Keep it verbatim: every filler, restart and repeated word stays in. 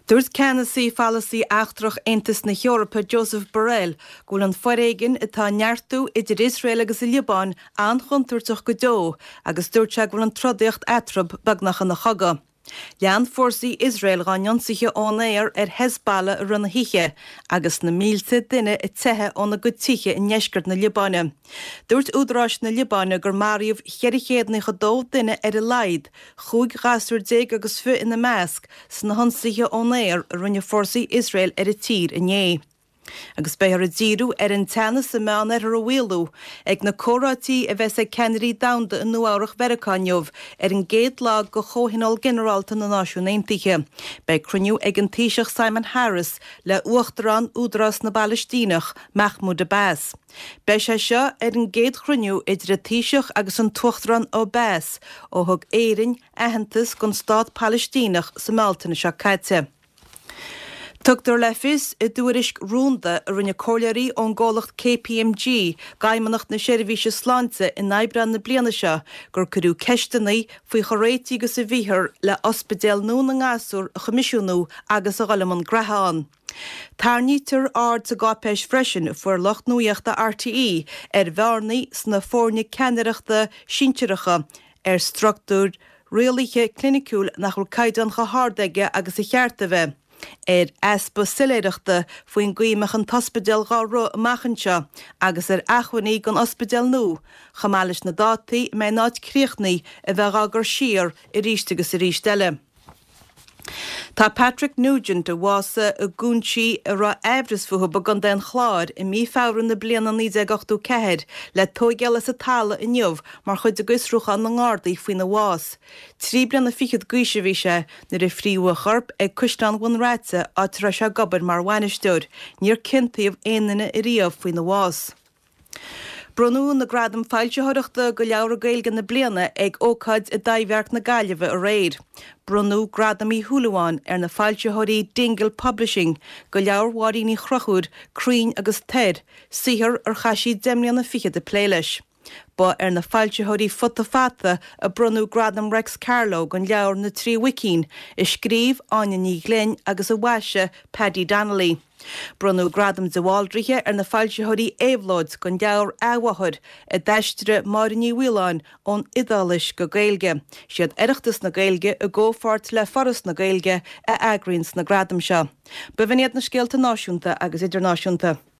Dúirt ceannasaí pholasaí eachtrach Aontas na hEorpa Josep Borrell go bhfuil an foréigean atá ag neartú idir Iosrael agus an Liobáin an-chontúirteach go deo agus dúirt sé go bhfuil an trodaíocht eatarthu beagnach ina chogadh. Lean fórsaí Iosrael dá n-ionsaithe ón aer ar Hezbollah i rith na hoíche agus na mílte duine ag teitheadh óna gcuid tithe i ndeisceart na Liobáine. Dúirt údaráis na Liobáine gur maraíodh ceithre chéad nócha dó duine ar a laghad, chúig ghasúr déag agus fiche ina measc, sna hionsaithe ón aer a rinne fórsaí Iosrael ar an tír inné. Agus beifear ag díriú ar an teannas sa Meánoirthear a mhaolú ag na comhráití a bheas ag ceannairí domhanda i Nua-Eabhrac Mheiriceá inniu ar an gcéad lá de Chomhthionól Ginearálta na Náisiún Aontaithe. Beidh cruinniú ag an Taoiseach Simon Harris le Uachtarán Údarás na bPalaistíneach, Mahmoud Abbas. Beidh sé seo ar an gcéad chruinniú idir an Taoiseach agus an tUachtarán Abbas ó thug Éirinn aitheantas don stát Palaistíneach sa mBealtaine seo caite. Tugtar le fios i dtuairisc rúnda a rinne comhairleoirí ón gcomhlacht KPMG d'Fheidhmeannacht na Seirbhíse Sláinte in Aibreán na bliana seo gur cuireadh ceisteanna faoi chomh réitithe agus a bhíothar le ospidéal nua na ngasúr a choimisiúnú agus a dhul i mbun graithe ann. Tarraingítear aird sa gcáipéis freisin a fuair lucht nuachta RTÉ ar bhearnaí sna foirne ceannaireachta sinsearacha ar struchtúr rialaithe cliniciúil nach bhfuil caighdeán chomh hard aige agus ba cheart a bheith. ar easpa soiléireachta faoin gcaoi a mbeadh an t-ospidéal dhá rith amach anseo agus ar acmhainní don ospidéal nua, chomh maith leis na dátaí a mbeidh an áit críochnaithe a bheith á gcur siar arís agus arís eile. Tá Patrick Nugent, a bhásaigh i gcúinsí a raibh aimhreas fúthu i gContae an Chláir i mí Feabhra na bliana naoi déag ochtó ceathair, le tóigeáil as an talamh inniu mar chuid de fhiosrúchán na nGardaí faoina bhás. Trí bliana fichead d'aois a bhí sé nuair a frítheadh a chorp ag Caisleán Bhun Raite áit a raibh sé ag obair mar bhainisteoir. Níor ciontaíodh aon duine ariamh faoina bhás. Bronnadh na Gradaim Foilsitheoireachta do Leabhra Gaeilge na bliana ag ócáid i dTaibhdhearc na Gaillimhe aréir. Bronnadh Gradam Uí Shúilleabháin ar na foilsitheoirí Dingle Publishing do leabhar Mháirín Uí Chonchúir, Crainn agus Toir, saothar ar chaith sí deich mbliana fichead ag plé leis. Ba ar na foilsitheoirí Futa Fata a bronnadh Gradam Reics Carló don leabhar Na Trí Mhuicín, a scríobh Áine Ní Ghlinn agus a mhaisigh Paddy Donnelly. Bronnadh Gradam de Bhaldraithe ar na foilsitheoirí Éabhlóid don leabhar Athmháthair, a d'aistrigh Máire Ní Mhaoláin ón Iodáilis go Gaeilge. Siad Oireachtas na Gaeilge i gcomhpháirt le Foras na Gaeilge a eagraíonn na gradaim seo. B'in iad na scéalta náisiúnta agus idirnáisiúnta.